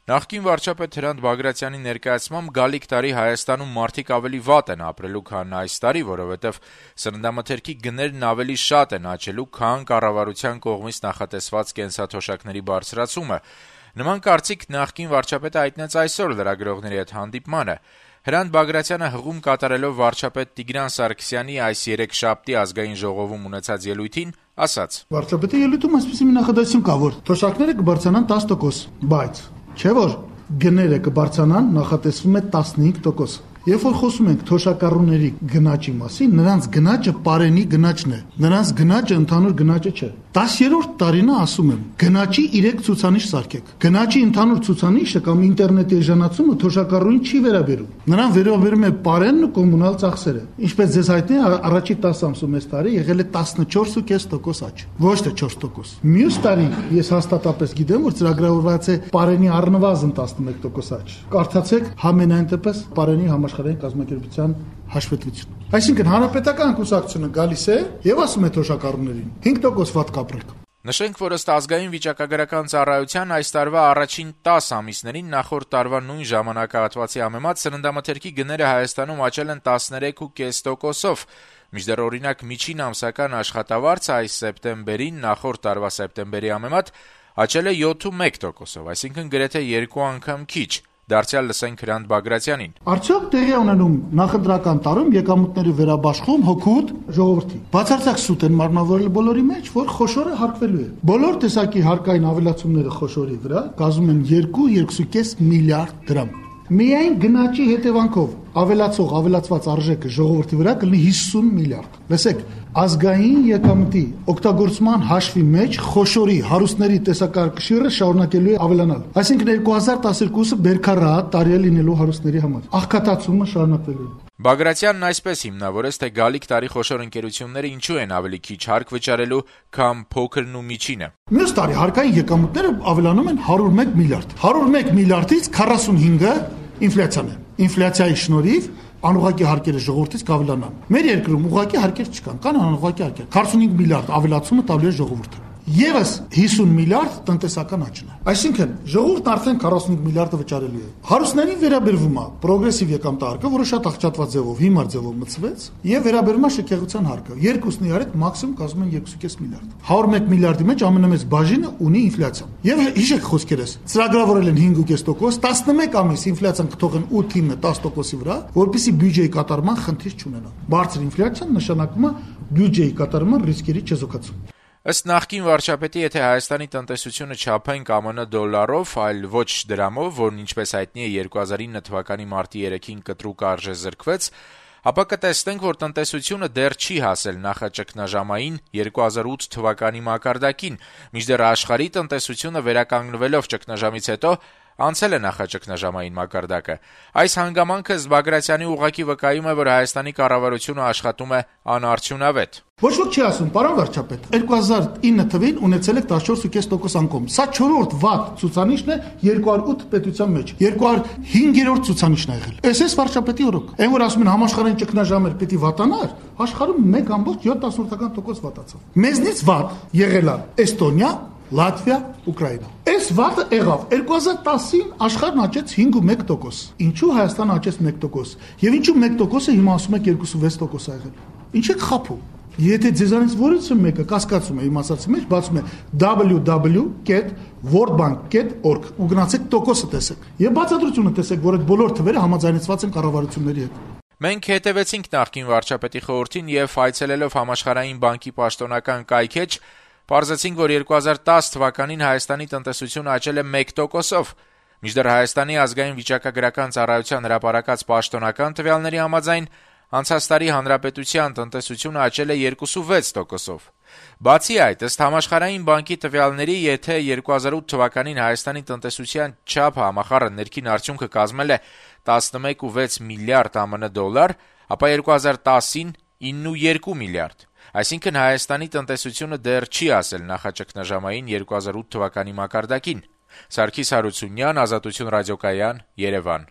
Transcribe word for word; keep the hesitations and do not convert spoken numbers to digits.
Նախկին վարչապետ Հրանտ Բագրատյանի ներկայացմամբ գալիք տարի Հայաստանում մարդիկ ավելի վատ են ապրելու, քան այս տարի, որովհետև սննդամթերքի գներն ավելի շատ են աճելու, քան կառավարության կողմից նախատեսված կենսաթոշակների բարձրացումը։ Նման կարծիք նախկին վարչապետը հայտնեց այսօր լրագրողների հետ հանդիպմանը։ Հրանտ Բագրատյանը հղում կատարելով վարչապետ Տիգրան Սարգսյանի այս երեքշաբթի ազգային ժողովում ունեցած ելույթին ասաց. Վարչապետի ելույթում այսպիսի մի նախադասություն կա, որ թոշակները կբարձրանան տասը տոկոս, բայց չէ որ գները կբարձրանան նախատեսվում է տասնհինգ տոկոս։ Երբ որ խոսում ենք թոշակառուների գնաճի մասին, նրանց գնաճը պարենի գնաճն է, նրանց գնաճը ընդհանուր գնաճը չէ։ տասերորդ տարին է ասում եմ, գնաճի երեք ցուցանիշ սարքեք։ Գնաճի ընդհանուր ցուցանիշը կամ ինտերնետի էժանացումը թոշակառուին չի վերաբերում։ Նրան վերաբերում է պարենն ու կոմունալ ծախսերը։ Ինչպես ձեզ հայտնի է, առաջի տասը ամսում այս տարի եղել է տասնչորս փոխանակ կես տոկոս աճ, ոչ թե չորս տոկոս։ Մյուս տարի ես հաստատապես գիտեմ, որ ծրագրավորված է պարենի առնվազն տասնմեկ տոկոս աճ։ Կարդացեք համենայն դեպս պարենի համաշխարհային կազմակերպության հաշվետվություն։ Այսինքն հանրապետական կուսակցությունը գալիս է եւ ասում է թոշակառուներին հինգ տոկոս վատ կապրեք։ Նշենք, որ ըստ ազգային վիճակագրական ծառայության այս տարվա առաջին տասը ամիսներին նախորդ տարվա նույն ժամանակահատվածի համեմատ սննդամթերքի գները Հայաստանում աճել են տասներեք փոխանակ կես տոկոսով, մինչդեռ օրինակ միջին ամսական աշխատավարձը այս սեպտեմբերին նախորդ տարվա սեպտեմբերի համեմատ աճել է յոթ փոխանակ մեկ տոկոսով, այսինքն գրեթե երկու անգամ քիչ։ Դարձյալ լսենք Հրանտ Բագրատյանին. Արդյոք տեղի ունենում նախընտրական տարում եկամուտների վերաբաշխում հոգուտ ժողովրդի։ Բացարձակ սուտ են մարմնավորել բոլորի մեջ, որ խոշորը հարկվելու է։ Բոլոր տեսակի հարկային ավելացումները խոշորի վրա կազմում են երկու երկու կես միլիարդ դրամ։ Միայն գնաճի հետևանքով ավելացող ավելացված արժեքը ժողովրդի վրա կլինի հիսուն միլիարդ։ Լսեք, ազգային եկամտի օգտագործման հաշվի մեջ խոշորի հարուստների տեսակարգշիռը շարունակելու է ավելանալ։ Այսինքն երկու հազար տասներկուսը բերքարատ տարի է լինելու հարուստների համար։ Աղքատացումը շարունակվելու է։ Բագրատյանն այսպես հիմնավորեց, թե գալիք տարի խոշոր ընկերությունները ինչու են ավելի քիչ հարկ վճարելու, քան փոքրն ու միջինը։ Մյուս տարի հարկային եկամուտները ավելանում են հարյուր մեկ միլիարդ։ հարյուր մեկ միլիարդից քառասունհինգը ինֆլյացիան է։ Ինֆլյացիայի շնորհիվ անուղղակի հարկերը ժողովրդից կավելանան։ Մեր երկրում ուղղակի հարկեր չկան, կան անուղղակի հարկեր։ քառասունհինգ միլիարդ ավելացումը տալու է ժողովուրդը։ Եվս հիսուն միլիարդ տնտեսական աճն է։ Այսինքն ժողովուրդն արդեն քառասունհինգ միլիարդը վճարելու է։ Հարուստներին վերաբերվում է պրոգրեսիվ եկամտահարկը, որը շատ աղճատված ձևով, հիմար ձևով մտցվեց, եւ վերաբերվում է շքեղության հարկը։ Երկուսն իրար մաքսիմում կազմում են երկու կես միլիարդ։ հարյուր մեկ միլիարդի մեջ ամենամեծ բաժինը ունի ինֆլյացիան։ Եվ հիշեք խոսքերս, ծրագրավորել են հինգ կես տոկոս, տասնմեկ ամիս ինֆլյացիան կթողեն ութը տասը տոկոսի վրա, որպեսզի բյուջեի կատարման խնդիր չունենա։ Բարձր ինֆլյացիան նշանակում է բյուջեի կատարման ռիսկերի չեզոքացում։ Ըստ նախկին վարչապետի, եթե Հայաստանի տնտեսությունը չափենք ԱՄՆ դոլարով, այլ ոչ դրամով, որն ինչպես հայտնի է երկու հազար ինը թվականի մարտի երեքին կտրուկ արժեզրկվեց, ապա կտեսնենք, որ տնտեսությունը դեռ չի հասել նախաճգնաժամային երկու հազար ութ թվականի մակարդակին, մինչդեռ աշխարհի տնտեսությունը վերականգնվելով ճգնաժամից հետո անցել է նախաճգնաժամային մակարդակը։ Այս հանգամանքը Բագրատյանի ուղղակի վկայում է, որ Հայաստանի կառավարությունը աշխատում է անարդյունավետ։ Ոչ ոք չի ասում, պարոն վարչապետ, երկու հազար ինը թվին ունեցել եք տասնչորս փոխանակ կես տոկոս անկում։ Սա չորրորդ վատ ցուցանիշն է երկու հազար ութ պետության մեջ։ երկու հազար հինգերորդ ցուցանիշն է եղել։ Էս էս վարչապետի օրոք։ Այն որ ասում են համաշխարհային ճգնաժամեր պիտի վատանար, աշխարհում մեկ ամբողջ յոթ տասնորդական տոկոս վատացավ։ Մեզնից վատ եղել է Էստոնիա, Լատվիա, Ուկրաինա։ Այս վատը եղավ երկու հազար տասին աշխարհն աճեց հինգ ու մեկ տոկոս։ Ինչու Հայաստանը աճեց մեկ տոկոս։ Եվ ինչու մեկ տոկոսը հիմա ասում եք երկու ու վեց տոկոս ա եղել։ Ինչ եք խափում։ Եթե ձեզանից որից մեկը կասկածում է իմ ասածի մեջ, բացում է double-u double-u dot world bank dot org ու գնացեք տոկոսը տեսեք։ Եվ բացատրությունը տեսեք, որ այդ բոլոր թվերը համաձայնեցված են կառավարությունների հետ։ Մենք հետևեցինք նախկին վարչապետի խորհրդին եւ այցելելով Համաշխարհային բանկի պաշտոնական կայքեջ պարզեցինք, որ երկու հազար տասը թվականին Հայաստանի տնտեսությունը աճել է մեկ տոկոսով, մինչդեռ Հայաստանի ազգային վիճակագրական ծառայության հրապարակած պաշտոնական տվյալների համաձայն անցած տարի հանրապետության տնտեսությունը աճել է երկու ու վեց տոկոսով։ Բացի այդ, ըստ Համաշխարհային բանկի տվյալների, եթե երկու հազար ութ թվականին Հայաստանի տնտեսության չափը համախառն ներքին արդյունքը կազմել է տասնմեկ փոխանակ վեց միլիարդ ԱՄՆ դոլար, ապա երկու հազար տասին ինը փոխանակ երկու միլիարդ։ Այսինքն Հայաստանի տնտեսությունը դեռ չի հասել նախաճգնաժամային երկու հազար ութ թվականի մակարդակին։ Սարգիս Հարությունյան, Ազատություն ռադիոկայան, Երևան։